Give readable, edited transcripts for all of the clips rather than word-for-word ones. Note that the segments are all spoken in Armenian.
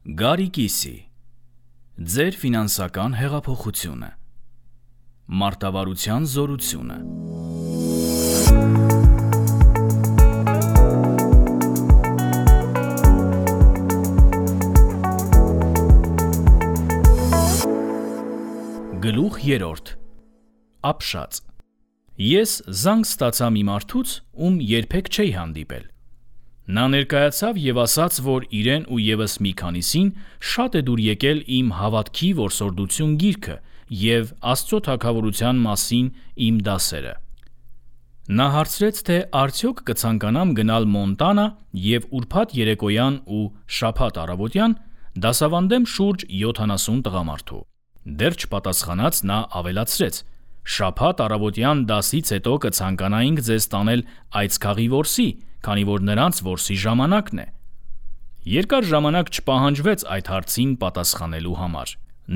Գարիկիսի ձեր ֆինանսական հեղափոխությունը, մարտավարության զորությունը։ Գլուխ 3. Ապշած։ Ես զանգ ստացա մի մարդուց, ում երբեք չէի հանդիպել։ Նա ներկայացավ և ասաց, որ իրեն ու ևս մի քանիսին շատ է դուր եկել իմ «Հավատքի որսորդություն» գիրքը և Աստծո թագավորության մասին իմ դասերը։ Նա հարցրեց, թե արդյոք կցանկանամ գնալ Մոնտանա և ուրբաթ երեկոյան ու շաբաթ առավոտյան դասավանդեմ շուրջ 70 տղամարդու։ Դեռ չպատասխանած նա ավելացրեց. շաբաթ առավոտյան դասից հետո կցանկանայինք ձեզ տանել այցքաղի որսի, քանի որ նրանց որսի ժամանակն է։ Երկար ժամանակ չպահանջվեց այդ հարցին պատասխանելու համար։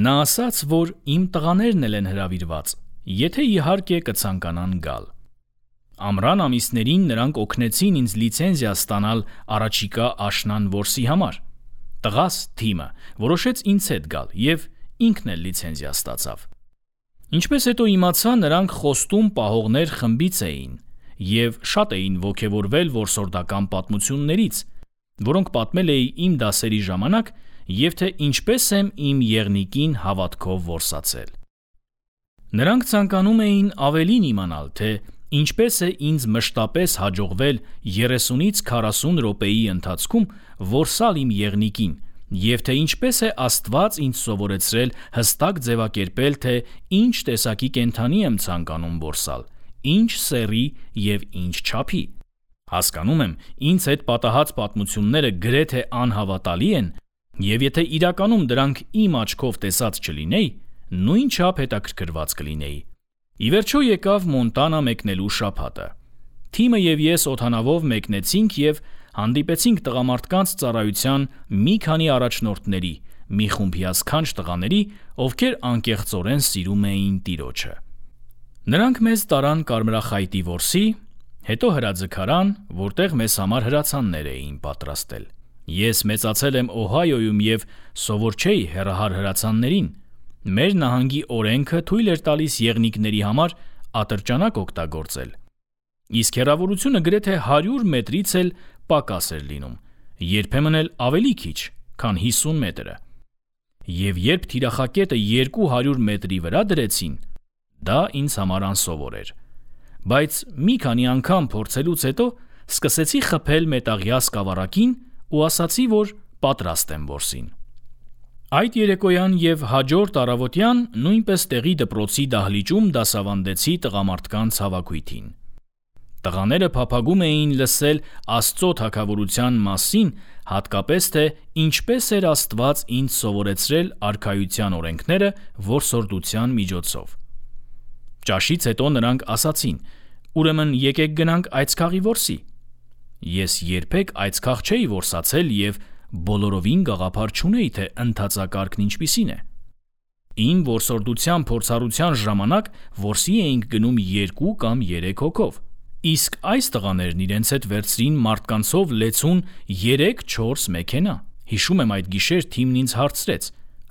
Նա ասաց, որ իմ տղաներն էլ են հրավիրված, եթե իհարկե կցանկանան գալ։ Ամռան ամիսներին նրանք օգնեցին ինձ լիցենզիա ստանալ առաջիկա աշնան որսի համար։ Տղաս Թիմը որոշեց ինձ հետ գալ և ինքն էլ լիցենզիա ստացավ։ Ինչպես հետո իմացա, նրանք խոստում պահողներ խմբից էին և շատ էին ոգևորվել որսորդական պատմություններից, որոնք պատմել էի իմ դասերի ժամանակ, և թե ինչպես եմ իմ եղնիկին հավատքով որսացել։ Նրանք ցանկանում էին ավելին իմանալ, թե ինչպես է ինձ մշտապես հաջողվել 30-ից 40 րոպեի ընթացքում որսալ իմ եղնիկին, և թե ինչպես է Աստված ինձ սովորեցրել հստակ ձևակերպել, թե ինչ տեսակի կենդանի եմ ցանկանում որսալ, ինչ սեռի և ինչ չափի։ Հասկանում եմ, ինձ հետ պատահած պատմությունները գրեթե անհավատալի են, և եթե իրականում դրանք իմ աչքով տեսած չլինեի, նույնչափ հետաքրքրված կլինեի։ Ի վերջո եկավ Մոնտանա մեկնելու շաբաթը։ Թիմը և ես օդանավով մեկնեցինք և հանդիպեցինք տղամարդկանց ծառայության մի քանի առաջնորդների, մի խումբ հիասքանչ տղաների, ովքեր անկեղծորեն սիրում էին տիրոջը։ Նրանք մեզ տարան Կարմրախայտի որսի, հետո հրաձգարան, որտեղ մեզ համար հրացաններ էին պատրաստել։ Ես մեծացել եմ Օհայոյում և սովոր չէի հեռահար հրացաններին։ Մեր նահանգի օրենքը թույլ էր տալիս եղնիկների համար ատրճանակ օգտագործել, իսկ հեռավորությունը գրեթե 100 մետրից էլ պակաս էր լինում, երբեմն էլ ավելի քիչ, քան 50 մետրը։ Եվ երբ թիրախակետը 200 մետրի վրա դրեցին, դա ինձ համար անսովոր էր։ Բայց մի քանի անգամ փորձելուց հետո սկսեցի խփել մետաղյա սկավառակին ու ասացի, որ պատրաստ եմ որսին։ Այդ երեկոյան և հաջորդ առավոտյան նույնպես տեղի դպրոցի դահլիճում դասավանդեցի տղամարդկանց հավաքույթին։ Տղաները փափագում էին լսել Աստծո թագավորության մասին, հատկապես թե ինչպես էր Աստված ինձ սովորեցրել արքայության օրենքները որսորդության միջոցով։ Ճաշից հետո նրանք ասացին. «Ուրեմն եկեք գնանք այցքաղի որսի»։ Ես երբեք այցքաղ չէի որսացել և բոլորովին գաղափար չունեի, թե ընթացակարգն ինչպիսին է։ Իմ որսորդության փորձառության ժամանակ որսի էինք գնում 2 կամ 3 հոգով, իսկ այս տղաներն իրենց հետ վերցրին մարդկանցով լեցուն 3-4 մեքենա։ Հիշում եմ, այդ գիշեր Թիմն ինձ հարցրեց.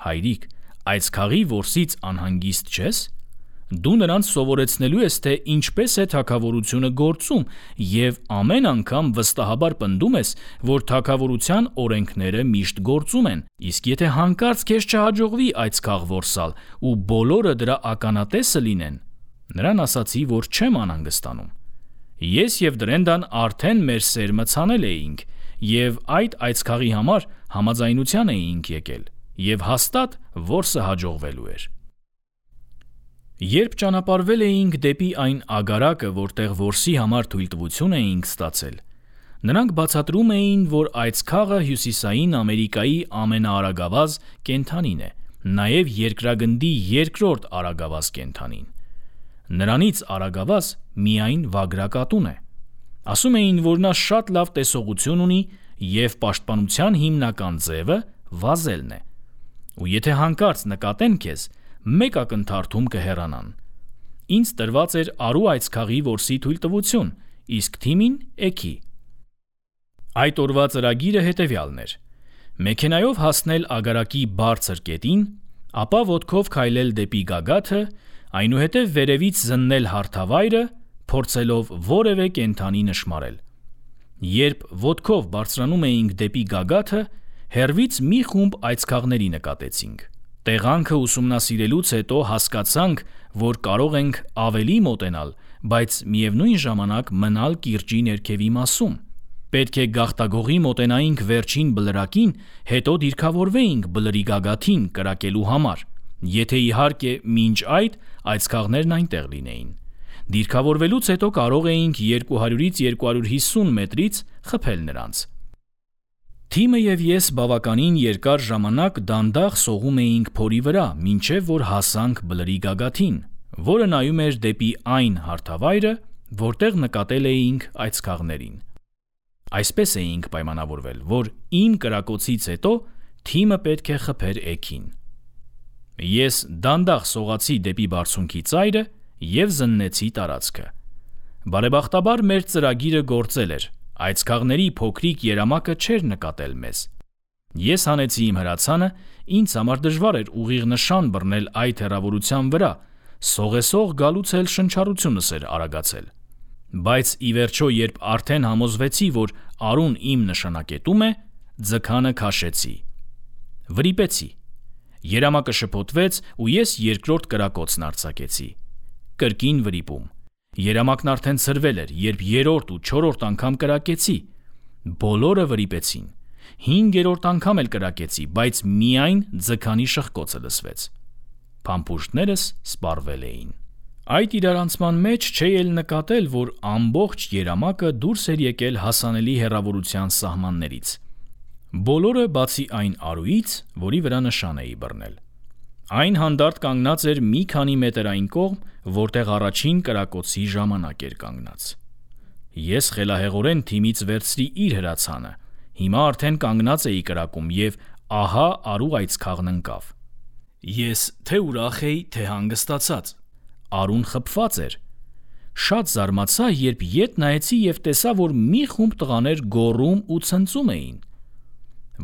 «Հայրիկ, այցքաղի որսից անհանգիստ չես։ Դու նրանց սովորեցնելու ես, թե ինչպես է թագավորությունը գործում և ամեն անգամ վստահաբար պնդում ես, որ թագավորության օրենքները միշտ գործում են, իսկ եթե հանկարծ քեզ չհաջողվի այցքաղ որսալ ու բոլորը դրա ականատեսը լինեն»։ Նրան ասացի, որ չեմ անհանգստանում։ Ես և Դրենդան արդեն մեր սերմը ցանել էինք և այդ այցքաղի համար համաձայնության էինք եկել, և հաստատ որսը հաջողվելու էր։ Երբ ճանապարհվել էինք դեպի այն ագարակը, որտեղ որսի համար թույլտվություն էինք ստացել, նրանք բացատրում էին, որ այցքաղը Հյուսիսային Ամերիկայի ամենաարագավազ կենդանին է, նաև երկրագնդի երկրորդ արագավազ կենդանին։ Նրանից արագավազ միայն վագրակատուն է։ Ասում էին, որ նա շատ լավ տեսողություն ունի և պաշտպանության հիմնական ձևը վազելն է, ու եթե հանկարծ նկատեն քեզ, մեկ ակնթարթում կհեռանան։ Ինձ տրված էր արու այցքաղի որսի թույլտվություն, իսկ Թիմին՝ էգի։ Այդ օրվա ծրագիրը հետևյալն էր. մեքենայով հասնել ագարակի բարձր կետին, ապա ոտքով քայլել դեպի գագաթը, այնուհետև վերևից զննել հարթավայրը, փորձելով որևէ կենդանի նշմարել։ Երբ ոտքով բարձրանում էինք դեպի գագաթը, հեռվից մի խումբ այծքաղների նկատեցինք։ Տեղանքը ուսումնասիրելուց հետո հասկացանք, որ կարող ենք ավելի մոտենալ, բայց միևնույն ժամանակ մնալ կիրճի ներքևի մասում։ Պետք է գաղտագողի մոտենայինք վերջին բլրակին, հետո դիրքավորվեինք բլրի գագաթին կրակելու համար, եթե իհարկե մինչ այդ այծքաղներն այնտեղ լինեին։ Դիրքավորվելուց հետո կարող էինք 200-ից 250 մետրից խփել նրանց։ Թիմը և ես բավականին երկար ժամանակ դանդաղ սողում էինք փորի վրա, մինչև որ հասանք բլրի գագաթին, որը նայում էր դեպի այն հարթավայրը, որտեղ նկատել էինք այծքաղներին։ Այսպես էինք պայմանավորվել, որ իմ կրակոցից հետո թիմը պետք է խփեր էգին։ Ես դանդաղ սողացի դեպի բարձունքի ծայրը և զննեցի տարածքը։ Բարեբախտաբար մեր ծրագիրը գործել էր, այծքաղների փոքրիկ երամակը չէր նկատել մեզ։ Ես հանեցի իմ հրացանը, ինձ համար դժվար էր ուղիղ նշան բռնել այդ հեռավորության վրա, սողեսող գալուց էլ շնչառությունս էր արագացել։ Բայց ի վերջո, երբ արդեն համոզվեցի, որ Արուն իմ նշանակետում է, ձգանը քաշեցի։ Վրիպեցի։ Երամակը շփոթվեց ու ես երկրորդ կրակոցն արձակեցի։ Կրկին վրիպում։ Երամակն արդեն ցրվել էր, երբ երրորդ ու չորրորդ անգամ կրակեցի։ Բոլորը վրիպեցին։ 5-րդ անգամ էլ կրակեցի, բայց միայն ձգանի շխկոցը լսվեց։ Փամփուշտներս սպառվել էին։ Այդ իրարանցման մեջ չէի էլ նկատել, որ ամբողջ երամակը դուրս էր եկել հասանելի հեռավորության սահմաններից։ Բոլորը բացի այն Արուից, որի վրա նշան էի բռնել։ Այն հանդարտ կանգնած էր մի քանի մետր այն կողմ, որտեղ առաջին կրակոցի ժամանակ էր կանգնած։ Ես խելահեղորեն թիմից վերցրի իր հրացանը։ Հիմա արդեն կանգնած էի կրակում և ահա Արու այծքաղն ընկավ։ Ես թե ուրախ էի, թե հանգստացած։ Արուն խփված էր։ Շատ զարմացա, երբ ետ նայեցի և տեսա, որ մի խումբ տղաներ գոռում ու ցնծում էին։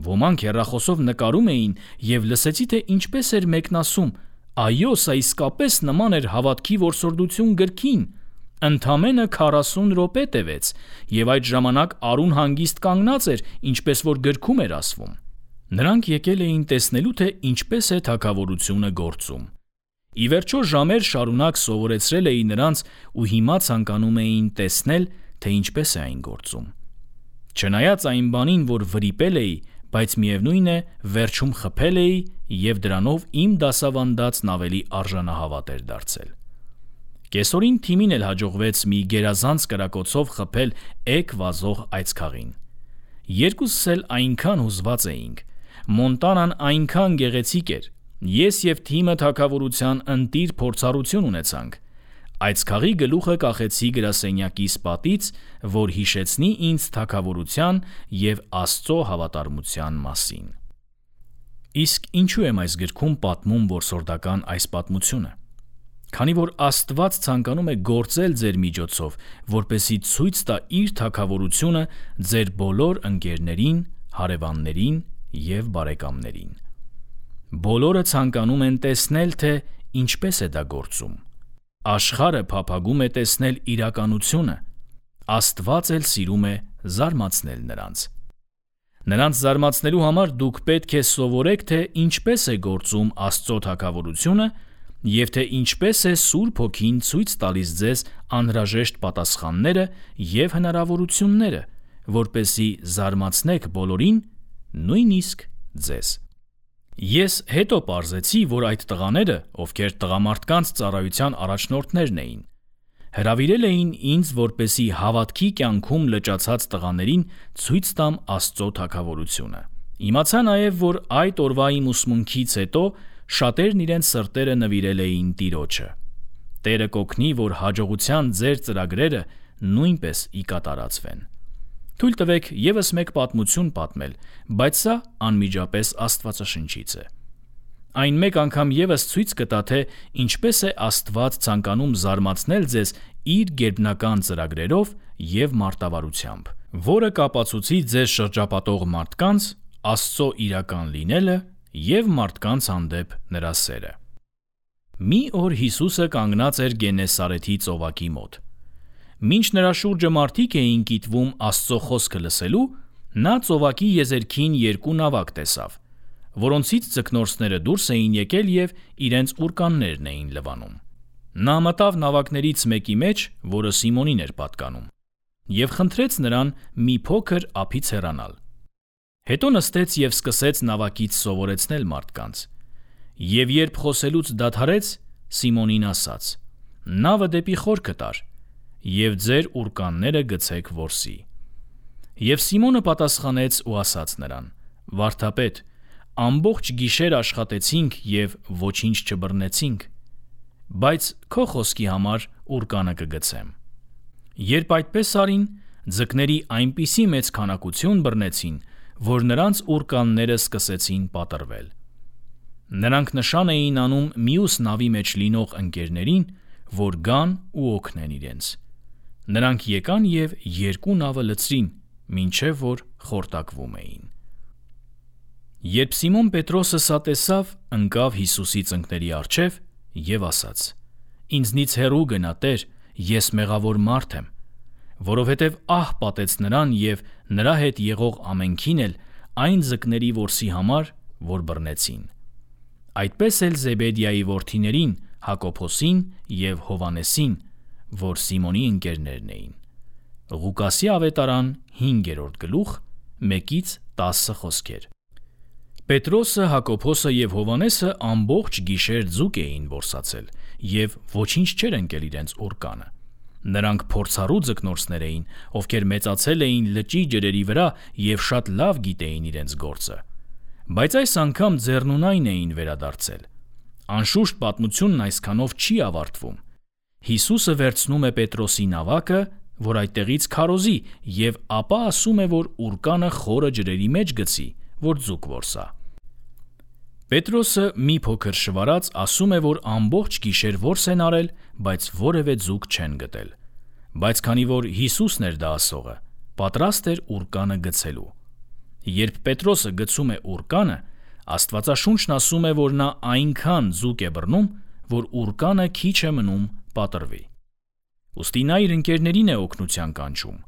Ոմանք հեռախոսով նկարում էին և լսեցի, թե ինչպես էր մեկն ասում. «Այո, սա իսկապես նման էր հավատքի որսորդություն գրքին։ Ընդամենը 40 րոպե տևեց, և այդ ժամանակ Արուն հանգիստ կանգնած էր, ինչպես որ գրքում էր ասվում»։ Նրանք եկել էին տեսնելու, թե ինչպես է թագավորությունը գործում։ Ի վերջո ժամեր շարունակ սովորեցրել էի նրանց ու հիմա ցանկանում էին տեսնել, թե ինչպես է այն գործում։ Չնայած այն բանին, որ վրիպել էի, բայց միևնույն է, վերջում խփել էի և դրանով իմ դասավանդածն ավելի արժանահավատ էր դարձել։ Կեսօրին թիմին էլ հաջողվեց մի գերազանց կրակոցով խփել էգ վազող այծքաղին։ Երկուսս էլ այնքան հուզված էինք։ Մոնտանան այնքան գեղեցիկ էր։ Ես և թիմը թագավորության ընտիր փորձառություն ունեցանք։ Այծքաղի գլուխը կախեցի գրասենյակիս պատից, որ հիշեցնի ինձ թագավորության և Աստծո հավատարմության մասին։ Իսկ ինչու եմ այս գրքում պատմում որսորդական այս պատմությունը։ Քանի որ Աստված ցանկանում է գործել ձեր միջոցով, որպեսզի ցույց տա իր թագավորությունը ձեր բոլոր ընկերներին, հարևաններին և բարեկամներին։ Բոլորը ցանկանում են տեսնել, թե ինչպես է դա գործում։ Աշխարհը փափագում է տեսնել իրականությունը։ Աստված էլ սիրում է զարմացնել նրանց։ Նրանց զարմացնելու համար դուք պետք է սովորեք, թե ինչպես է գործում Աստծո թագավորությունը և թե ինչպես է Սուրբ Հոգին ցույց տալիս ձեզ անհրաժեշտ պատասխանները և հնարավորությունները, որպեսզի զարմացնեք բոլորին, նույնիսկ ձեզ։ Ես հետո պարզեցի, որ այդ տղաները, ովքեր տղամարդկանց ծառայության առաջնորդներն էին, հրավիրել էին ինձ, որպեսզի հավատքի կյանքում լճացած տղաներին ցույց տամ Աստծո թագավորությունը։ Իմացա նաև, որ այդ օրվա իմ ուսմունքից հետո շատերն իրենց սրտերը նվիրել էին Տիրոջը։ Տերը կօգնի, որ հաջողության ձեր ծրագրերը նույնպես ի կատարածվեն։ Թույլ տվեք ևս մեկ պատմություն պատմել, բայց սա անմիջապես Աստվածաշնչից է։ Այն մեկ անգամ ևս ցույց կտա, թե ինչպես է Աստված ցանկանում զարմացնել ձեզ իր գերբնական ծրագրերով և մարտավարությամբ, որը կապացուցի ձեզ շրջապատող մարդկանց, Աստծո իրական լինելը և մարդկանց հանդեպ նրա սերը։ Մի օր Հիսուսը կանգնած էր Գենեսարեթի ծովակի մոտ։ Մինչ նրա շուրջը մարդիկ էին կիտվում Աստծո խոսքը լսելու, նա ծովակի եզերքին երկու նավակ տեսավ, որոնցից ձկնորսները դուրս էին եկել և իրենց ուռկաններն էին լվանում։ Նա մտավ նավակներից մեկի մեջ, որը Սիմոնին էր պատկանում, և խնդրեց նրան մի փոքր ափից հեռանալ։ Հետո նստեց և սկսեց նավակից սովորեցնել մարդկանց։ Եվ երբ խոսելուց դադարեց, Սիմոնին ասաց. «Նավը դեպի խորքը տար և ձեր ուռկանները գցեք որսի»։ Եվ Սիմոնը պատասխանեց ու ասաց նրան. «Վարդապետ, ամբողջ գիշեր աշխատեցինք և ոչինչ չբռնեցինք, բայց քո խոսքի համար ուռկանը կգցեմ»։ Երբ այդպես արին, ձկների այնպիսի մեծ քանակություն բռնեցին, որ նրանց ուռկանները սկսեցին պատռվել։ Նրանք նշան էին անում մյուս նավի մեջ լինող ընկերներին, որ գան ու օգնեն իրենց։ Նրանք եկան և երկու նավը լցրին, մինչև որ խորտակվում էին։ Երբ Սիմոն Պետրոսը սա տեսավ, ընկավ Հիսուսի ծնկների առջև և ասաց. «Ինձնից հեռու գնա, Տեր, ես մեղավոր մարդ եմ», որովհետև ահ պատեց նրան և նրա հետ եղող ամենքին էլ այն ձկների որսի համար, որ բռնեցին։ Այդպես էլ Զեբեդիայի որդիներին Հակոբոսին և Հովհաննեսին, որ Սիմոնի ընկերներն էին։ Ղուկասի ավետարան 5-րդ գլուխ 1-10 խոսքեր։ Պետրոսը, Հակոբոսը և Հովհաննեսը ամբողջ գիշեր ձուկ էին որսացել և ոչինչ չէր ընկել իրենց ուռկանը։ Նրանք փորձառու ձկնորսներ էին, ովքեր մեծացել էին լճի ջրերի վրա և շատ լավ գիտեին իրենց գործը։ Բայց այս անգամ ձեռնունայն էին վերադարձել։ Անշուշտ պատմությունն այսքանով չի ավարտվում։ Հիսուսը վերցնում է Պետրոսի նավակը, որ այդտեղից քարոզի, և ապա ասում է, որ ուռկանը խորը ջրերի մեջ գցի, որ ձուկ որսա։ Պետրոսը մի փոքր շվարած ասում է, որ ամբողջ գիշեր որս են արել, բայց որևէ ձուկ չեն գտել։ Բայց քանի որ Հիսուսն էր դա ասողը, պատրաստ էր ուռկանը գցելու։ Երբ Պետրոսը գցում է ուռկանը, Աստվածաշունչն ասում է, որ նա այնքան ձուկ է բռնում, որ ուռկանը քիչ է մնում պատռվի։ Ուստի նա իր ընկերներին է օգնության կանչում։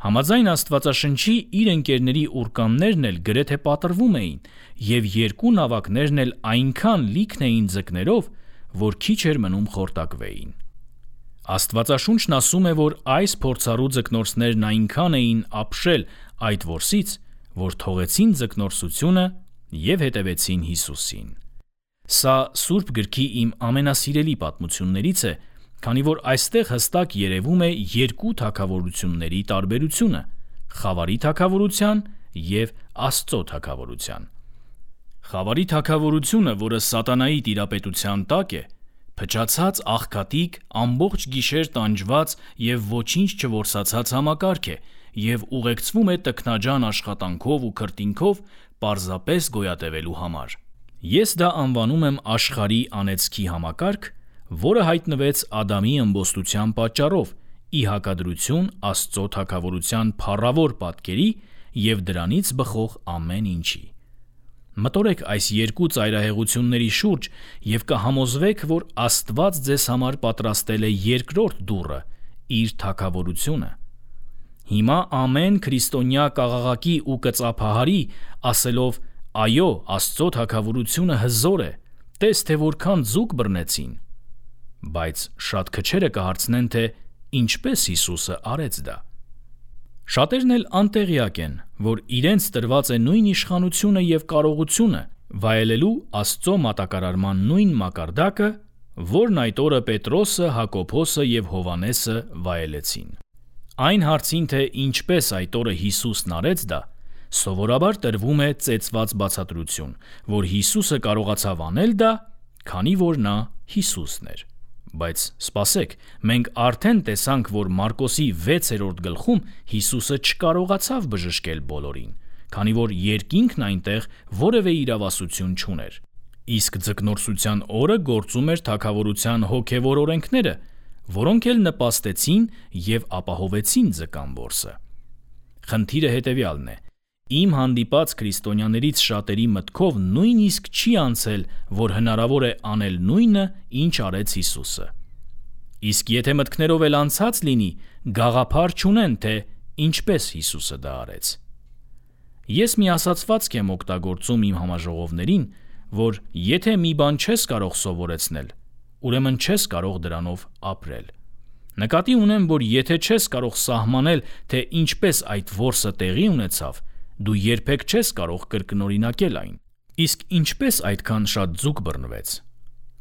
Համաձայն Աստվածաշնչի իր ընկերների ուռկաններն էլ գրեթե պատռվում էին, և երկու նավակներն էլ այնքան լիքն էին ձկներով, որ քիչ էր մնում խորտակվեին։ Աստվածաշունչն ասում է, որ այս փորձառու ձկնորսներն այնքան էին ապշել այդ որսից, որ թողեցին ձկնորսությունը և հետևեցին Հիսուսին։ Սա Սուրբ Գրքի իմ ամենասիրելի պատմություններից է, քանի որ այստեղ հստակ երևում է երկու թագավորությունների տարբերությունը՝ խավարի թագավորության և Աստծո թագավորության։ Խավարի թագավորությունը, որը սատանայի տիրապետության տակ է, փչացած աղքատիկ, ամբողջ գիշեր տանջված և ոչինչ չորսացած համակարգ է և ուղեկցվում է տքնաջան աշխատանքով ու քրտինքով պարզապես գոյատևելու համար։ Ես դա անվանում եմ աշխարհի անեծքի համակարգ, որը հայտնվեց Ադամի ըմբոստության պատճառով՝ ի հակադրություն Աստծո թագավորության փառավոր պատկերի և դրանից բխող ամեն ինչի։ Մտորեք այս երկու ծայրահեղությունների շուրջ և կհամոզվեք, որ Աստված ձեզ համար պատրաստել է երկրորդ դուռը՝ իր թագավորությունը։ Հիմա ամեն քրիստոնյա կաղաղակի ու կծափահարի, ասելով. «Այո, Աստծո թագավորությունը հզոր է, տես թե որքան ձուկ բռնեցին»։ Բայց շատ քչերը կհարցնեն, թե ինչպես Հիսուսը արեց դա։ Շատերն էլ անտեղյակ են, որ իրենց տրված է նույն իշխանությունը և կարողությունը վայելելու Աստծո մատակարարման նույն մակարդակը, որն այդ օրը Պետրոսը, Հակոբոսը և Հովհաննեսը վայելեցին։ Այն հարցին, թե ինչպես այդ օրը Հիսուսն արեց դա, սովորաբար տրվում է ծեծված բացատրություն, որ Հիսուսը կարողացավ անել դա, քանի որ նա Հիսուսն էր։ Բայց սպասեք, մենք արդեն տեսանք, որ Մարկոսի 6-րդ գլխում Հիսուսը չկարողացավ բժշկել բոլորին, քանի որ երկինքն այնտեղ որևէ իրավասություն չուներ։ Իսկ ձկնորսության օրը գործում էր թագավորության հոգևոր օրենքները, որոնք էլ նպաստեցին և ապահովեցին ձկան որսը։ Խնդիրը հետևյալն է. Իմ հանդիպած քրիստոնյաներից շատերի մտքով նույնիսկ չի անցել, որ հնարավոր է անել նույնը, ինչ արեց Հիսուսը։ Իսկ եթե մտքներով էլ անցած լինի, գաղափար չունեն, թե ինչպես Հիսուսը դա արեց։ Ես մի ասացվածք եմ օգտագործում իմ համաժողովներին, որ եթե մի բան չես կարող սովորեցնել, ուրեմն չես կարող դրանով ապրել։ Նկատի ունեմ, որ եթե չես կարող սահմանել, թե ինչպես այդ որսը տեղի ունեցավ, դու երբեք չես կարող կրկնօրինակել այն։ Իսկ ինչպես այդքան շատ ձուկ բռնվեց։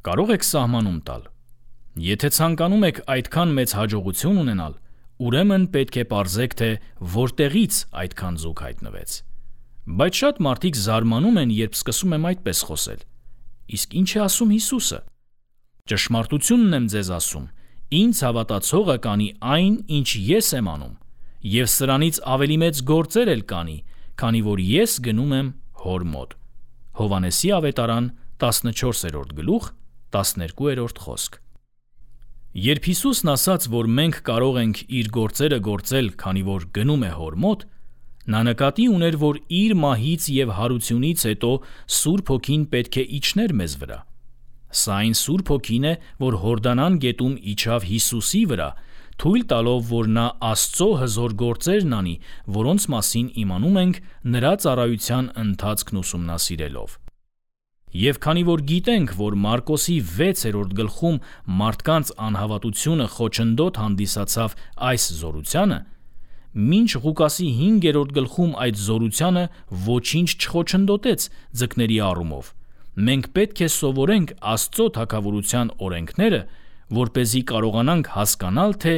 Կարող եք սահմանում տալ։ Եթե ցանկանում եք այդքան մեծ հաջողություն ունենալ, ուրեմն պետք է պարզեք, թե որտեղից այդքան ձուկ հայտնվեց։ Բայց շատ մարդիկ զարմանում են, երբ սկսում եմ այդպես խոսել։ Իսկ ինչ է ասում Հիսուսը։ Ճշմարտությունն եմ ձեզ ասում, ինձ հավատացողը կանի այն, ինչ ես եմ անում, եւ սրանից ավելի մեծ գործեր էլ կանի, քանի որ ես գնում եմ Հոր մոտ։ Հովհաննեսի ավետարան 14-րդ գլուխ 12-րդ խոսք։ Երբ Հիսուսն ասաց, որ մենք կարող ենք իր գործերը գործել, քանի որ գնում է Հոր մոտ, նա նկատի ուներ, որ իր մահից եւ հարությունից հետո Սուրբ Հոգին պետք է իջներ մեզ վրա։ Սա այն Սուրբ Հոգին է, որ Հորդանան գետում իջավ Հիսուսի վրա, թույլ տալով, որ նա Աստծո հզոր գործերն անի, որոնց մասին իմանում ենք նրա ծառայության ընթացքն ուսումնասիրելով։ Եվ քանի որ գիտենք, որ Մարկոսի 6-րդ գլխում մարդկանց անհավատությունը խոչընդոտ հանդիսացավ այս զորությանը, մինչ Ղուկասի 5-րդ գլխում այդ զորությանը ոչինչ չխոչընդոտեց ձկների առումով, մենք պետք է սովորենք Աստծո թագավորության օրենքները, որպեսզի կարողանանք հասկանալ, թե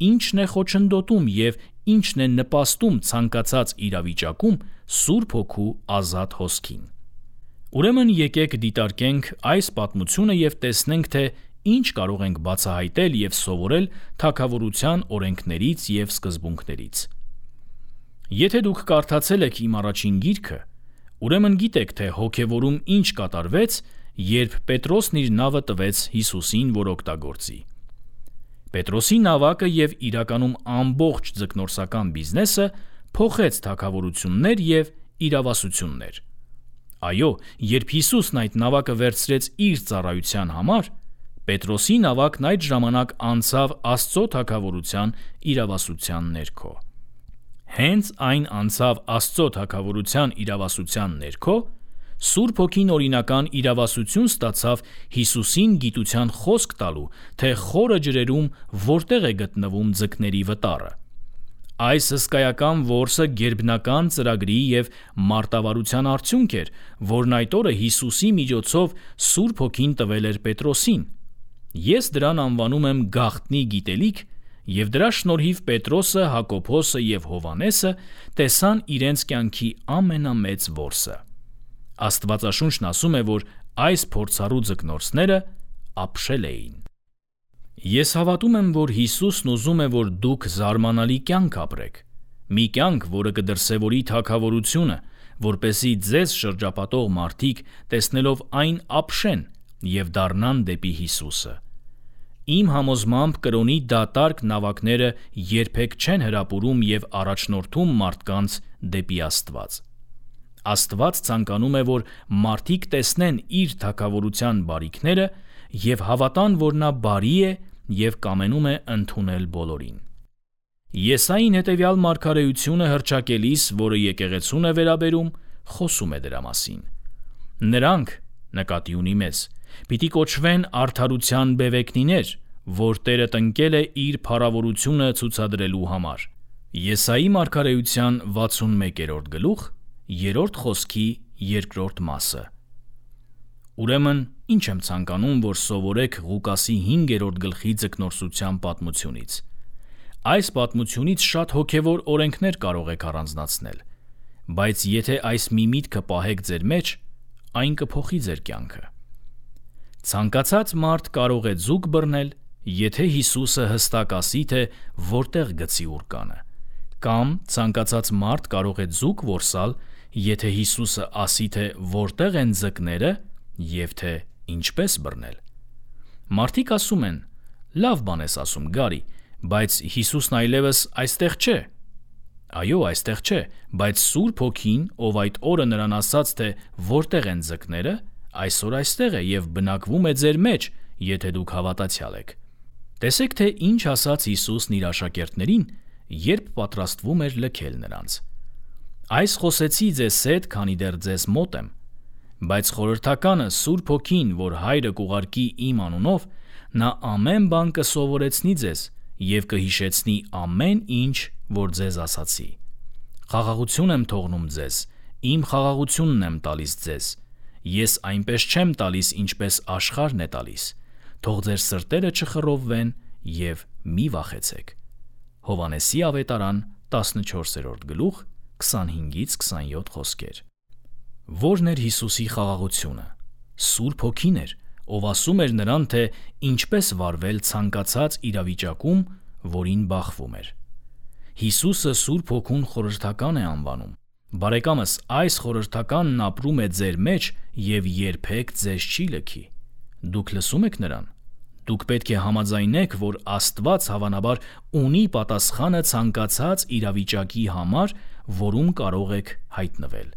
ինչն է խոչընդոտում և ինչն է նպաստում ցանկացած իրավիճակում Սուրբ Հոգու ազատ հոսքին։ Ուրեմն եկեք դիտարկենք այս պատմությունը և տեսնենք, թե ինչ կարող ենք բացահայտել և սովորել թագավորության օրենքներից և սկզբունքներից։ Եթե դուք կարդացել եք իմ առաջին գիրքը, ուրեմն գիտեք, թե հոգևորում ինչ կատարվեց, երբ Պետրոսն իր նավը տվեց Հիսուսին, որ օգտագործի։ Պետրոսի նավակը և իրականում ամբողջ ձկնորսական բիզնեսը փոխեց թագավորություններ և իրավասություններ։ Այո, երբ Հիսուսն այդ նավակը վերցրեց իր ծառայության համար, Պետրոսի նավակն այդ ժամանակ անցավ Աստծո թագավորության իրավասության ներքո։ Հենց այն անցավ Աստծո թագավորության իրավասության ներքո, Սուրբ Հոգին օրինական իրավասություն ստացավ Հիսուսին գիտության խոսք տալու, թե խորը ջրերում որտեղ է գտնվում ձկների վտառը։ Այս հսկայական որսը գերբնական ծրագրի և մարտավարության արդյունք էր, որն այդ օրը Հիսուսի միջոցով Սուրբ Հոգին տվել էր Պետրոսին։ Ես դրան անվանում եմ գաղտնի գիտելիք, և դրա շնորհիվ Պետրոսը, Հակոբոսը և Հովհաննեսը տեսան իրենց կյանքի ամենամեծ որսը։ Աստվածաշունչն ասում է, որ այս փորձառու ձկնորսները ապշել էին։ Ես հավատում եմ, որ Հիսուսն ուզում է, որ դուք զարմանալի կյանք ապրեք, մի կյանք, որը կդրսևորի թագավորությունը, որպեսզի ձեզ շրջապատող մարդիկ տեսնելով այն ապշեն և դառնան դեպի Հիսուսը։ Իմ համոզմամբ կրոնի դատարկ նավակները երբեք չեն հրապուրում և առաջնորդում մարդկանց դեպի Աստված։ Աստված ցանկանում է, որ մարդիկ տեսնեն իր թագավորության բարիքները և հավատան, որ նա բարի է և կամենում է ընդունել բոլորին։ Եսային հետևյալ մարգարեությունը հռչակելիս, որը եկեղեցուն է վերաբերում, խոսում է դրա մասին։ Նրանք, նկատի ունի մեզ, պիտի կոչվեն արդարության բևեկնիներ, որ Տերը տնկել է իր փառավորությունը ցուցադրելու համար։ Եսայի մարգարեության 61-րդ գլուխ 3-րդ խոսքի 2-րդ մասը։ Ուրեմն, ինչ եմ ցանկանում, որ սովորեք Ղուկասի 5-րդ գլխի ձկնորսության պատմությունից։ Այս պատմությունից շատ հոգևոր օրենքներ կարող եք առանձնացնել, բայց եթե այս մի միտքը պահեք ձեր մեջ, այն կփոխի ձեր կյանքը։ Ցանկացած մարդ կարող է ձուկ բռնել, եթե Հիսուսը հստակ ասի, թե որտեղ գցի ուրկանը, կամ ցանկացած մարդ կարող է ձուկ որսալ, եթե Հիսուսը ասի, թե որտեղ են ձկները և թե ինչպես բռնել։ Մարդիկ ասում են. «Լավ բան ես ասում, Գարի, բայց Հիսուսն այլևս այստեղ չէ»։ Այո, այստեղ չէ, բայց Սուրբ Հոգին, ով այդ օրը նրան ասաց, թե որտեղ են ձկները, այսօր այստեղ է և բնակվում է ձեր մեջ, եթե դուք հավատացյալ եք։ Տեսեք, թե ինչ ասաց Հիսուսն իր աշակերտներին, երբ պատրաստվում էր լքել նրանց։ Այս խոսեցի ձեզ հետ, քանի դեռ ձեզ մոտ եմ, բայց խորհրդականը Սուրբ Հոգին, որ Հայրը կուղարկի իմ անունով, նա ամեն բան կսովորեցնի ձեզ և կհիշեցնի ամեն ինչ, որ ձեզ ասացի։ Խաղաղություն եմ թողնում ձեզ, իմ խաղաղությունն եմ տալիս ձեզ։ Ես այնպես չեմ տալիս, ինչպես աշխարհն է տալիս։ Թող ձեր սրտերը չխռովվեն և մի վախեցեք։ Հովհաննեսի ավետարան 14-րդ գլուխ 25-27 խոսքեր։ Ո՞րն էր Հիսուսի խաղաղությունը։ Սուրբ Հոգին էր, ով ասում էր նրան, թե ինչպես վարվել ցանկացած իրավիճակում, որին բախվում էր։ Հիսուսը Սուրբ Հոգուն խորհրդական է անվանում։ Բարեկամս, այս խորհրդականն ապրում է ձեր մեջ և երբեք ձեզ չի լքի։ Դուք լսում եք նրան։ Դուք պետք է համաձայնեք, որ Աստված հավանաբար ունի պատասխանը ցանկացած իրավիճակի համար, որում կարող եք հայտնվել։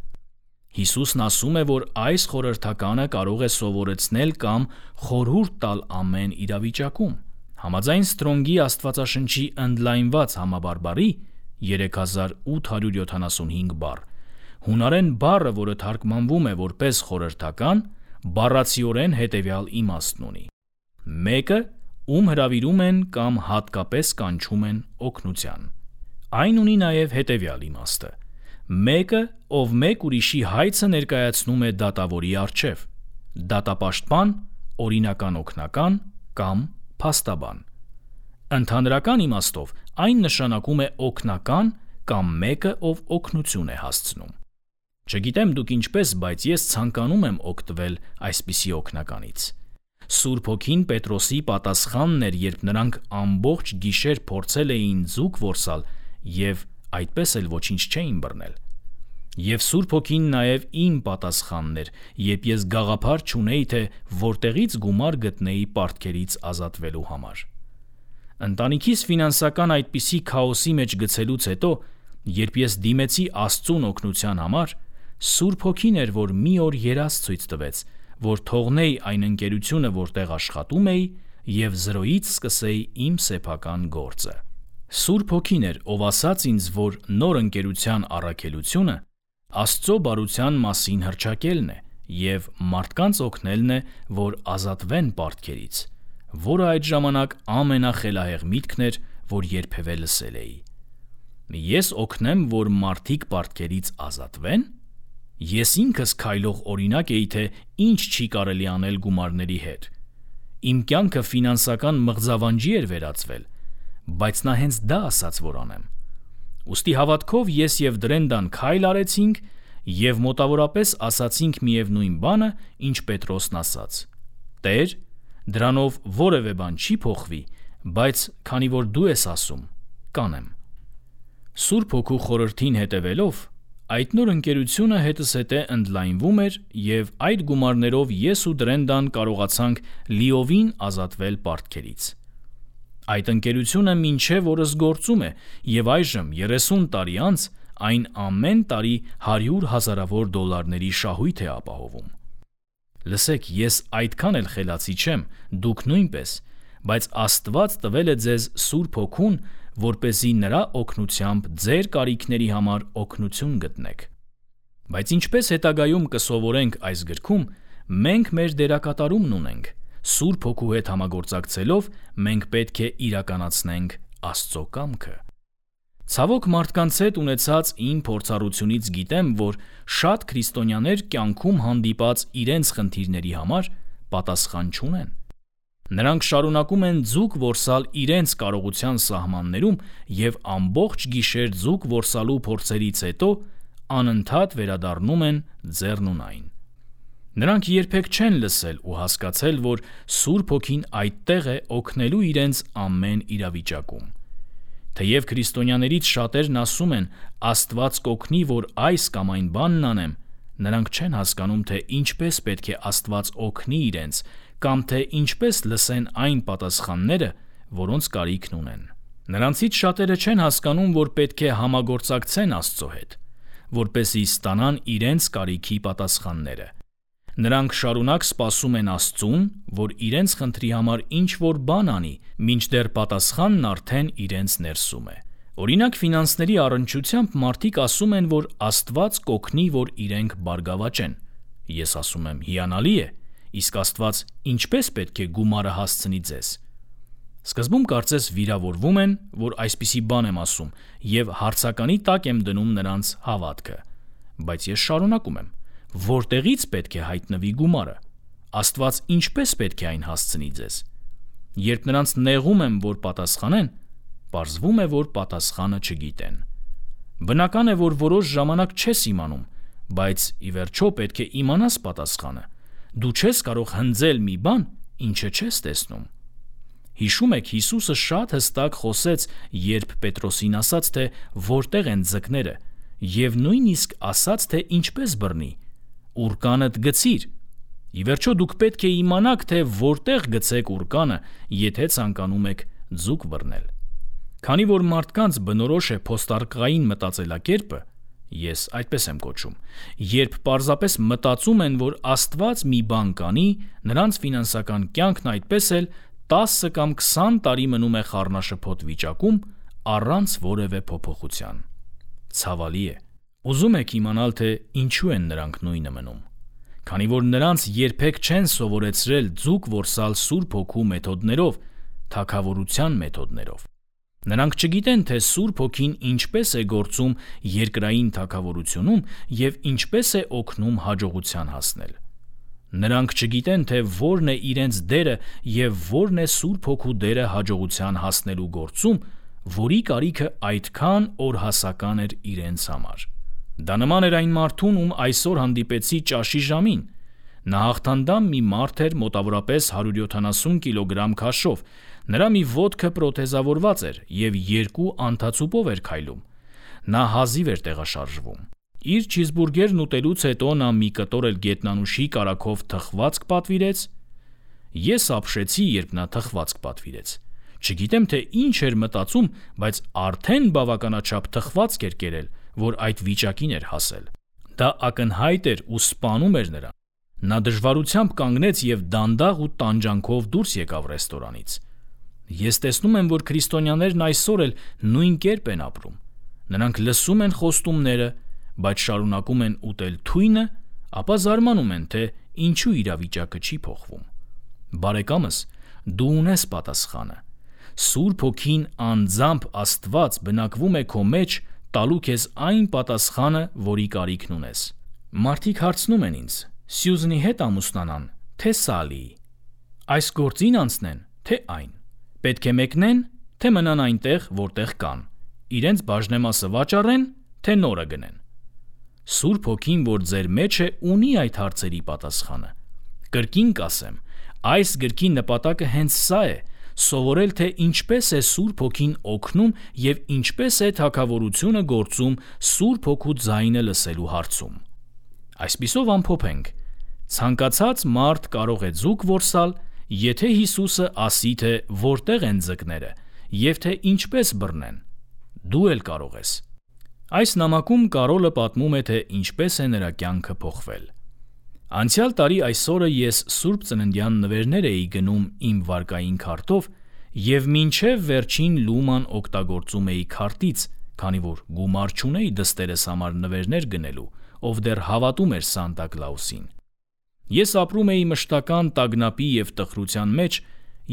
Հիսուսն ասում է, որ այս խորհրդականը կարող է սովորեցնել կամ խորհուրդ տալ ամեն իրավիճակում։ Համաձայն Սթրոնգի Աստվածաշնչի ընդլայնված համաբարբարի 3875 բառ, հունարեն բառը, որը թարգմանվում է որպես խորհրդական, բառացիորեն հետևյալ իմաստն ունի. մեկը, ում հրավիրում են կամ հատկապես կանչում են օգնության։ Այն ունի նաև հետևյալ իմաստը. մեկը, ով մեկ ուրիշի հայցը ներկայացնում է դատավորի առջև, դատապաշտպան, օրինական օգնական կամ փաստաբան։ Ընդհանրական իմաստով այն նշանակում է օգնական կամ մեկը, ով օգնություն է հասցնում։ Չգիտեմ դուք ինչպես, բայց ես ցանկանում եմ օգտվել այսպիսի օգնականից։ Սուրբ Հոգին Պետրոսի պատասխանն էր, երբ նրանք ամբողջ գիշեր փորձել էին ձուկ որսալ և այդպես էլ ոչինչ չէին բռնել։ Եվ Սուրբ Հոգին նաև իմ պատասխանն էր, երբ ես գաղափար չունեի, թե որտեղից գումար գտնեի պարտքերից ազատվելու համար։ Ընտանիքիս ֆինանսական այդպիսի քաոսի մեջ գցելուց հետո, երբ ես դիմեցի Աստծուն օգնության համար, Սուրբ Հոգին էր, որ մի օր երազ ցույց տվեց, որ թողնեի այն ընկերությունը, որտեղ աշխատում էի, և 0-ից սկսեի իմ սեփական գործը։ Սուրբ Հոգին էր, ով ասաց ինձ, որ նոր ընկերության առաքելությունը Աստծո բարության մասին հռչակելն է և մարդկանց օգնելն է, որ ազատվեն պարտքերից, որը այդ ժամանակ ամենախելահեղ միտքն էր, որ երբևէ լսել էի։ Ես օգնեմ, որ մարդիկ պարտքերից ազատվեն։ Ես ինքս քայլող օրինակ էի, թե ինչ չի կարելի անել գումարների հետ։ Իմ կյանքը ֆինանսական մղձավանջի էր վերածվել, բայց նա հենց դա ասաց, որ անեմ։ Ուստի հավատքով ես և Դրենդան քայլ արեցինք և մոտավորապես ասացինք միևնույն բանը, ինչ Պետրոսն ասաց. «Տեր, դրանով որևէ բան չի փոխվի, բայց քանի որ դու ես ասում, կանեմ»։ Սուրբ Հոգու խորհրդին հետևելով, այդ նոր ընկերությունը հետզհետե ընդլայնվում էր և այդ գումարներով ես ու Դրենդան կարողացանք լիովին ազատվել պարտքերից։ Այդ ընկերությունը մինչև օրս գործում է և այժմ 30 տարի անց այն ամեն տարի $100,000 շահույթ է ապահովում։ Լսեք, ես այդքան էլ խելացի չեմ, դուք նույնպես, բայց Աստված տվել է ձեզ Սուրբ Հոգուն, որպեսզի նրա օգնությամբ ձեր կարիքների համար օգնություն գտնեք։ Բայց ինչպես հետագայում կսովորենք այս գրքում, մենք մեր դերակատարումն ունենք։ Սուրբ Հոգու հետ համագործակցելով մենք պետք է իրականացնենք Աստծո կամքը։ Ցավոք մարդկանց հետ ունեցած իմ փորձառությունից գիտեմ, որ շատ քրիստոնյաներ կյանքում հանդիպած իրենց խնդիրների համար պատասխան չունեն։ Նրանք շարունակում են ձուկ որսալ իրենց կարողության սահմաններում և ամբողջ գիշեր ձուկ որսալու փորձերից հետո անընդհատ վերադառնում են ձեռնունայն։ Նրանք երբեք չեն լսել ու հասկացել, որ Սուրբ Հոգին այդտեղ է օգնելու իրենց ամեն իրավիճակում։ Թեև քրիստոնյաներից շատերն ասում են Աստված կօգնի, որ այս կամ այն բանն անեմ, նրանք չեն հասկանում, թե ինչպես պետք է Աստված օգնի իրենց, կամ թե ինչպես լսեն այն պատասխանները, որոնց կարիքն ունեն։ Նրանցից շատերը չեն հասկանում, որ պետք է համագործակցեն Աստծո հետ, որպեսզի ստանան իրենց կարիքի պատասխանները։ Նրանք շարունակ սպասում են Աստծուն, որ իրենց խնդրի համար ինչ-որ բան անի, մինչդեռ պատասխանն արդեն իրենց ներսում է։ Օրինակ, ֆինանսների առնչությամբ մարդիկ ասում են, որ Աստված կօգնի, որ իրենք բարգավաճեն։ Ես ասում եմ՝ հիանալի է, իսկ Աստված ինչպես պետք է գումարը հասցնի ձեզ։ Սկզբում կարծես վիրավորվում են, որ այսպիսի բան եմ ասում, եւ հարցականի տակ եմ դնում նրանց հավատքը։ Բայց ես շարունակում եմ. որտեղից պետք է հայտնվի գումարը։ Աստված ինչպես պետք է այն հասցնի ձեզ։ Երբ նրանց նեղում եմ, որ պատասխանեն, պարզվում է, որ պատասխանը չգիտեն։ Բնական է, որ որոշ ժամանակ չես իմանում, բայց ի վերջո պետք է իմանաս պատասխանը։ Դու չես կարող հնձել մի բան, ինչը չես տեսնում։ Հիշում եք, Հիսուսը շատ հստակ խոսեց, երբ Պետրոսին ասաց, թե որտեղ են ձկները, եւ նույնիսկ ասաց, թե ինչպես բռնի։ Ուրկանդ գցիր։ Ի վերջո դուք պետք է իմանաք, թե որտեղ գցեք ուրկանը, եթե ցանկանում եք ձուկ բռնել։ Քանի որ մարդկանց բնորոշ է փոստարկղային մտածելակերպը, ես այդպես եմ կոչում, երբ պարզապես մտածում են, որ Աստված մի բան կանի, նրանց ֆինանսական կյանքն այդպես էլ 10 կամ 20 տարի մնում է խառնաշփոթ վիճակում առանց որևէ փոփոխության։ Ցավալի է։ Ուզում եք իմանալ, թե ինչու են նրանք նույնը մնում։ Քանի որ նրանց երբեք չեն սովորեցրել ձուկ որսալ Սուրբ Հոգու մեթոդներով, թագավորության մեթոդներով։ Նրանք չգիտեն, թե Սուրբ Հոգին ինչպես է գործում երկրային թագավորությունում եւ ինչպես է օգնում հաջողության հասնել։ Նրանք չգիտեն, թե որն է իրենց դերը եւ որն է Սուրբ Հոգու դերը հաջողության հասնելու գործում, որի կարիքը այդքան օրհասական էր իրենց համար։ Դա նման էր այն մարդուն, ում այսօր հանդիպեցի ճաշի ժամին։ Նա հաղթանդամ մի մարդ էր, մոտավորապես 170 կիլոգրամ քաշով։ Նրա մի ոտքը պրոթեզավորված էր եւ 2 անթացուպով էր քայլում։ Նա հազիվ էր տեղաշարժվում։ Իր չիզբուրգերն ուտելուց հետո նա մի կտոր էլ գետնանուշի կարագով թխվածք պատվիրեց։ Ես ապշեցի, երբ նա թխվածք պատվիրեց։ Չգիտեմ, թե ինչ էր մտածում, բայց արդեն բավականաչափ թխվածք էր կերել, որ այդ վիճակին էր հասել։ Դա ակնհայտ էր ու սպանում էր նրան։ Նա դժվարությամբ կանգնեց եւ դանդաղ ու տանջանքով դուրս եկավ ռեստորանից։ Ես տեսնում եմ, որ քրիստոնյաներն այսօր էլ նույն կերպ են ապրում։ Նրանք լսում են խոստումները, բայց շարունակում են ուտել թույնը, ապա զարմանում են, թե ինչու իրավիճակը չի փոխվում։ Բարեկամս, դու ունես պատասխանը։ Սուրբ Հոգին անձամբ Աստված բնակվում է քո մեջ, տալու քեզ այն պատասխանը, որի կարիքն ունես։ Մարդիկ հարցնում են ինձ. Սյուզնի հետ ամուսնանան, թե Սալիի։ Այս գործին անցնեն, թե այն։ Պետք է մեկնեն, թե մնան այնտեղ, որտեղ կան։ Իրենց բաժնեմասը վաճառեն, թե նորը գնեն։ Սուրբ Հոգին, որ ձեր մեջ է, ունի այդ հարցերի պատասխանը։ Կրկին կասեմ, այս գրքի նպատակը հենց սա է՝ սովորել, թե ինչպես է Սուրբ Հոգին օգնում եւ ինչպես է թագավորությունը գործում Սուրբ Հոգու ձայնը լսելու հարցում։ Այսպիսով ամփոփենք. ցանկացած մարդ կարող է ձուկ որսալ, եթե Հիսուսը ասի, թե որտեղ են ձկները եւ թե ինչպես բռնեն։ Դու էլ կարող ես։ Այս նամակում Կարոլը պատմում է, թե ինչպես է նրա կյանքը փոխվել։ Անցյալ տարի այս օրը ես Սուրբ Ծննդյան նվերներ էի գնում իմ վարկային քարտով եւ մինչեւ վերջին լուման օգտագործում էի քարտից, քանի որ գումար չունեի դստերս համար նվերներ գնելու, ով դեռ հավատում էր Սանտա Կլաուսին։ Ես ապրում էի մշտական տագնապի եւ տխրության մեջ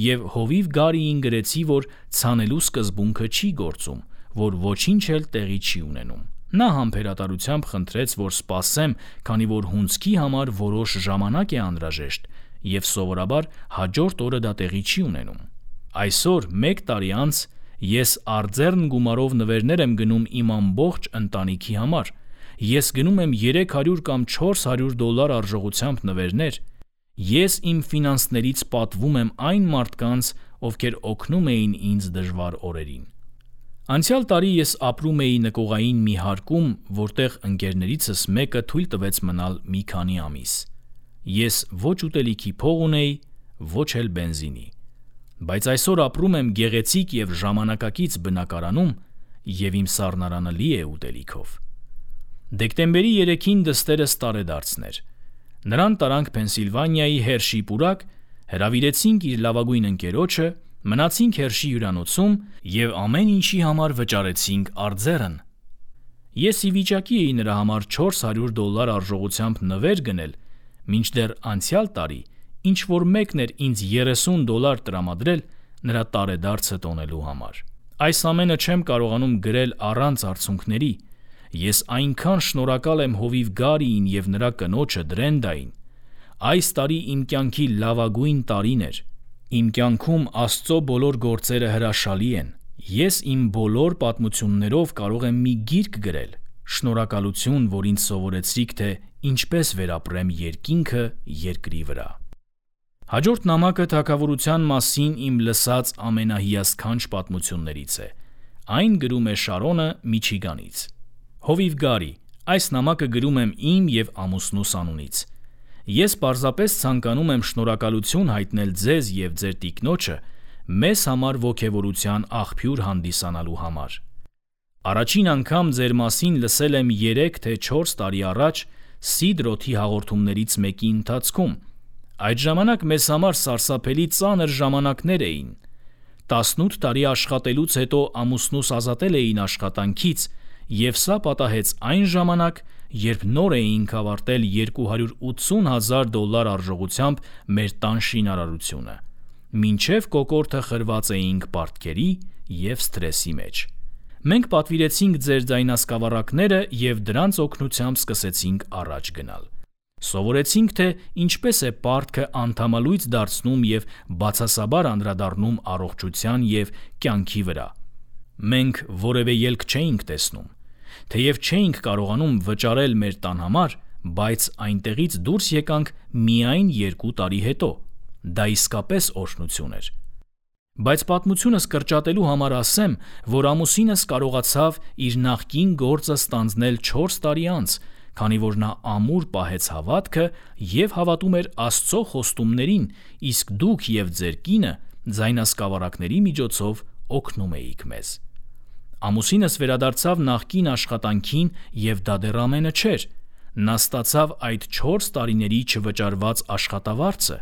եւ հովիվ Գարիին գրեցի, որ ցանելու սկզբունքը չի գործում, որ ոչինչ էլ տեղի չի ունենում։ Նա համբերատարությամբ խնդրեց, որ սպասեմ, քանի որ հունձքի համար որոշ ժամանակ է անհրաժեշտ եւ սովորաբար հաջորդ օրը դա տեղի չի ունենում։ Այսօր 1 տարի անց ես արձեռն գումարով նվերներ եմ գնում իմ ամբողջ ընտանիքի համար։ Ես գնում եմ $300 կամ $400 արժողությամբ նվերներ։ Ես իմ ֆինանսներից պատվում եմ այն մարդկանց, ովքեր օգնում էին ինձ դժվար օրերին։ Անցյալ տարի ես ապրում էի նկողային մի հարկում, որտեղ ընկերներիցս մեկը թույլ տվեց մնալ մի քանի ամիս։ Ես ոչ ուտելիքի փող ունեի, ոչ էլ բենզինի։ բայց այսօր ապրում եմ գեղեցիկ և ժամանակակից բնակարանում և իմ սառնարանը լի է ուտելիքով։ Դեկտեմբերի 3-ին դստերս տարեդարձն էր։ Նրան տարանք Փենսիլվանիայի Հերշի պուրակ, հրավիրեցինք իր լավագույն ընկերոջը, մնացինք Հերշի հյուրանոցում և ամեն ինչի համար վճարեցինք արձեռն։ Ես ի վիճակի էի նրա համար $400 արժողությամբ նվեր գնել, մինչդեռ անցյալ տարի ինչ-որ մեկն էր ինձ $30 տրամադրել նրա տարեդարձը տոնելու համար։ Այս ամենը չեմ կարողանում գրել առանց արցունքների։ Ես այնքան շնորհակալ եմ հովիվ Գարիին և նրա կնոջը Դրենդային։ Այս տարի իմ կյանքի լավագույն տարին էր։ Իմ կյանքում Աստծո բոլոր գործերը հրաշալի են։ Ես իմ բոլոր պատմություններով կարող եմ մի գիրք գրել։ Շնորհակալություն, որ ինձ սովորեցրիք, թե ինչպես վերապրեմ երկինքը երկրի վրա։ Հաջորդ նամակը թագավորության մասին իմ լսած ամենահիասքանչ պատմություններից է։ Այն գրում է Շարոնը Միչիգանից։ Հովիվ Գարի, այս նամակը գրում եմ իմ և ամուսնուս անունից։ Ես պարզապես ցանկանում եմ շնորհակալություն հայտնել ձեզ և ձեր տիկնոջը մեզ համար ոգևորության աղբյուր հանդիսանալու համար։ Առաջին անգամ ձեր մասին լսել եմ 3 թե 4 տարի առաջ Սիդրոթի հաղորդումներից մեկի ընթացքում։ Այդ ժամանակ մեզ համար սարսափելի ծանր ժամանակներ էին։ 18 տարի աշխատելուց հետո ամուսնուս ազատել էին աշխատանքից, և սա պատահեց այն ժամանակ, երբ նոր էինք ավարտել $280,000 արժողությամբ մեր տան շինարարությունը, մինչև կոկորդը խրված էինք պարտքերի և սթրեսի մեջ։ Մենք պատվիրեցինք ձեր ձայնասկավառակները և դրանց օգնությամբ սկսեցինք առաջ գնալ։ Սովորեցինք, թե ինչպես է պարտքը անդամալույծ դարձնում և բացասաբար անդրադառնում առողջության և կյանքի վրա։ Մենք որևէ ելք չէինք տեսնում։ Թեև չէինք կարողանում վճարել մեր տան համար, բայց այնտեղից դուրս եկանք միայն 2 տարի հետո։ Դա իսկապես օրհնություն էր։ Բայց պատմությունս կրճատելու համար ասեմ, որ ամուսինս կարողացավ իր նախկին գործը ստանձնել 4 տարի անց, քանի որ նա ամուր պահեց հավատքը և հավատում էր Աստծո խոստումներին, իսկ դուք և ձեր կինը ձայնասկավառակների միջոցով օգնում էիք մեզ։ Ամուսինս վերադարձավ նախկին աշխատանքին և դա դեռ ամենը չէր։ Նա ստացավ այդ 4 տարիների չվճարված աշխատավարձը։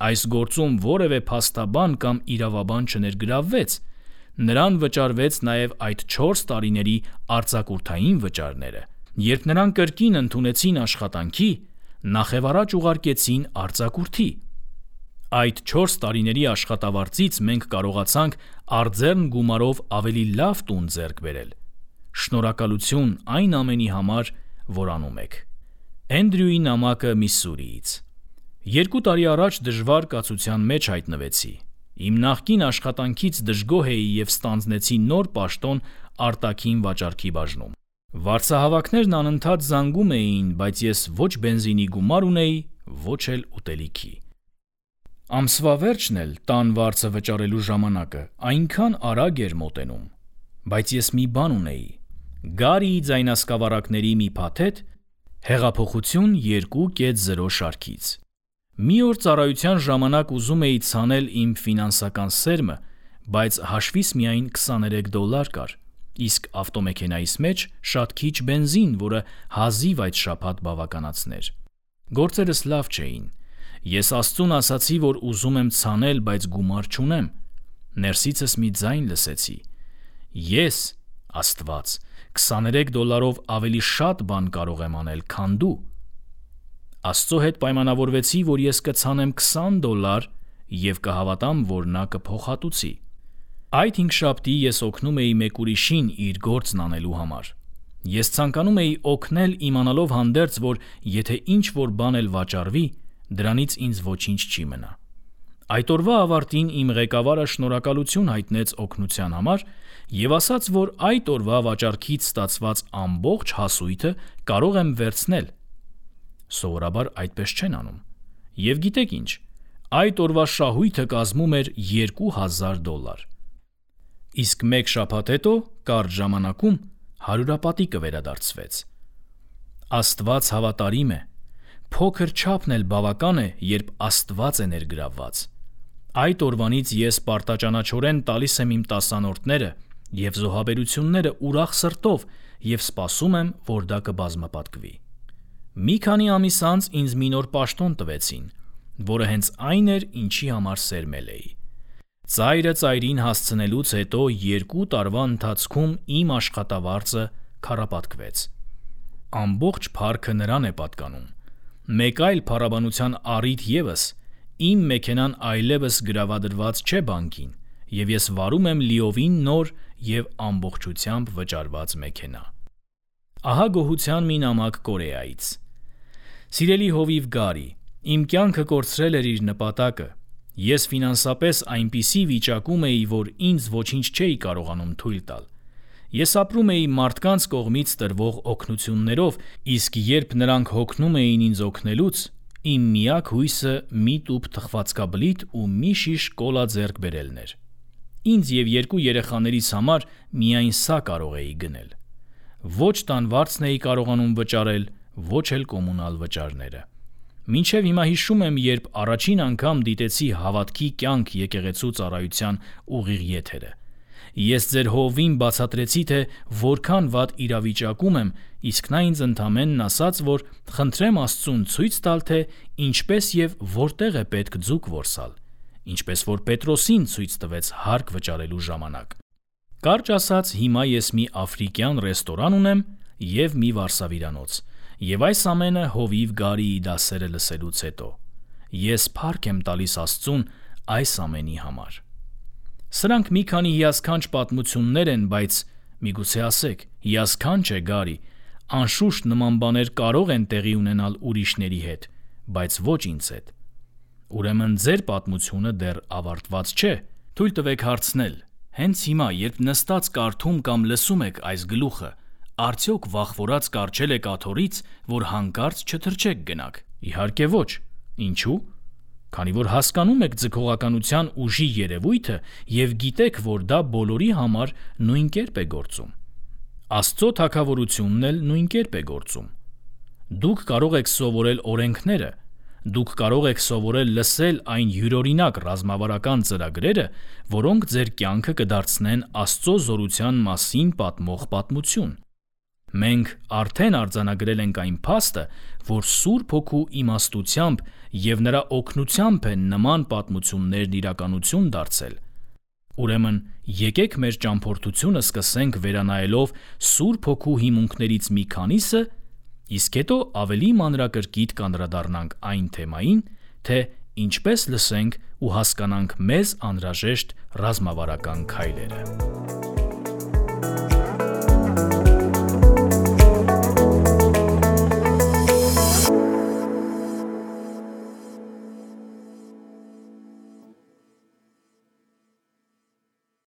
Այս գործում որևէ փաստաբան կամ իրավաբան չներգրավվեց։ Նրան վճարվեց նաև այդ 4 տարիների արձակուրդային վճարները։ Երբ նրան կրկին ընդունեցին աշխատանքի, նախևառաջ ուղարկեցին արձակուրդի։ Այդ 4 տարիների աշխատավարձից մենք կարողացանք արձեռն գումարով ավելի լավ տուն ձեռք բերել։ Շնորհակալություն այն ամենի համար, որ անում եք։ Էնդրյուի նամակը Միսսուրիից։ 2 տարի առաջ դժվար կացության մեջ հայտնվեցի։ Իմ նախկին աշխատանքից դժգոհ էի և ստանձնեցի նոր պաշտոն արտաքին վաճառքի բաժնում։ Վարձահավաքներն անընդհատ զանգում էին, բայց ես ոչ բենզինի գումար ունեի, ոչ էլ ուտելիքի։ Ամսվա վերջն էլ տան վարձը վճարելու ժամանակը այնքան արագ էր մոտենում։ Բայց ես մի բան ունեի՝ Գարիի ձայնասկավառակների մի փաթեթ Հեղափոխություն 2.0 շարքից։ Մի օր ծառայության ժամանակ ուզում էի ցանել իմ ֆինանսական սերմը, բայց հաշվիս միայն $23 կար, իսկ ավտոմեքենայիս մեջ շատ քիչ բենզին, որը հազիվ այդ շաբաթ բավականացներ։ Գործերս լավ չէին։ Ես Աստծուն ասացի, որ ուզում եմ ցանել, բայց գումար չունեմ։ Ներսիցս մի ձայն լսեցի. Ես, Աստված, $23-ով ավելի շատ բան կարող եմ անել, քան դու։ Աստծո հետ պայմանավորվեցի, որ ես կցանեմ $20 և կհավատամ, որ նա կփոխհատուցի։ Այդ հինգշաբթի ես օգնում էի մեկ ուրիշին իր գործն անելու համար։ Ես ցանկանում էի օգնել, իմանալով հանդերձ, որ եթե ինչ-որ բան էլ վաճառվի, դրանից ինձ ոչինչ չի մնա։ Այդ օրվա ավարտին իմ ղեկավարը շնորհակալություն հայտնեց օգնության համար և ասաց, որ այդ օրվա վաճառքից ստացված ամբողջ հասույթը կարող եմ վերցնել։ Սովորաբար այդպես չեն անում։ Եվ գիտեք ինչ, այդ օրվա շահույթը կազմում էր $2,000։ Իսկ մեկ շաբաթ հետո, կարճ ժամանակում, հարյուրապատիկը վերադարձվեց։ Աստված հավատարիմ է։ Փոքր չափն էլ բավական է, երբ Աստված է ներգրավված։ Այդ օրվանից ես պարտաճանաչորեն տալիս եմ իմ տասանորդները և զոհաբերությունները ուրախ սրտով և սպասում եմ, որ դա կբազմապատկվի։ Մի քանի ամիս անց ինձ մի նոր պաշտոն տվեցին, որը հենց այն էր, ինչի համար սերմել էի։ Ծայրը ծայրին հասցնելուց հետո 2 տարվա ընթացքում իմ աշխատավարձը քառապատկվեց։ Ամբողջ փառքը նրան է պատկանում։ Մեկ այլ փառաբանության առիթ ևս, իմ մեքենան այլևս գրավադրված չէ բանկին, և ես վարում եմ լիովին նոր և ամբողջությամբ վճարված մեքենա։ Ահա գոհության մի նամակ Կորեայից։ Սիրելի հովիվ Գարի, իմ կյանքը կորցրել էր իր նպատակը։ Ես ֆինանսապես այնպիսի վիճակում էի, որ ինձ ոչինչ չէի կարողանում թույլ տալ։ Ես ապրում էի մարդկանց կողմից տրվող օգնություններով, իսկ երբ նրանք հոգնում էին ինձ օգնելուց, իմ միակ հույսը մի տուփ թխվածքաբլիթ ու մի շիշ կոլա ձեռք բերելն էր։ Ինձ և 2 երեխաներիս համար միայն սա կարող էի գնել։ Ոչ տան վարձն էի կարողանում վճարել, ոչ էլ կոմունալ վճարները։ Մինչև հիմա հիշում եմ, երբ առաջին անգամ դիտեցի հավատքի կյանք եկեղեցու ծառայության ուղիղ եթերը։ Ես ձեր հովվին բացատրեցի, թե որքան վատ իրավիճակում եմ, իսկ նա ինձ ընդամենն ասաց, որ խնդրեմ Աստծուն ցույց տալ, թե ինչպես և որտեղ է պետք ձուկ որսալ, ինչպես որ Պետրոսին ցույց տվեց հարկ վճարելու ժամանակ։ Կարճ ասած, հիմա ես մի աֆրիկյան ռեստորան ունեմ և մի վարսավիրանոց, և այս ամենը հովիվ Գարիի դասերը լսելուց հետո։ Ես փառք եմ տալիս Աստծուն այս ամենի համար։ Սրանք մի քանի հիասքանչ պատմություններ են, բայց միգուցե ասեք, հիասքանչ է Գարի, անշուշտ նման բաներ կարող են տեղի ունենալ ուրիշների հետ, բայց ոչ ինձ հետ։ Ուրեմն ձեր պատմությունը դեռ ավարտված չէ։ Թույլ տվեք հարցնել, հենց հիմա, երբ նստած կարդում կամ լսում եք այս գլուխը, արդյոք վախվորած կառչել եք աթոռից, որ հանկարծ չթրջեք գնաք։ Իհարկե ոչ։ Ինչու՞։ Քանի որ հասկանում եք ձգողականության ուժի երևույթը և գիտեք, որ դա բոլորի համար նույն կերպ է գործում։ Աստծո թագավորությունն էլ նույն կերպ է գործում։ Դուք կարող եք սովորել օրենքները, դուք կարող եք սովորել լսել այն յուրօրինակ ռազմավարական ծրագրերը, որոնք ձեր կյանքը կդարձնեն Աստծո զորության մասին պատմող պատմություն։ Մենք արդեն արձանագրել ենք այն փաստը, որ Սուրբ Հոգու իմաստությամբ և նրա օգնությամբ են նման պատմություններն իրականություն դարձել։ Ուրեմն եկեք մեր ճամփորդությունը սկսենք վերանայելով Սուրբ Հոգու հիմունքներից մի քանիսը, իսկ հետո ավելի մանրակրկիտ կանդրադառնանք այն թեմային, թե ինչպես լսենք ու հասկանանք մեզ անհրաժեշտ ռազմավարական քայլերը։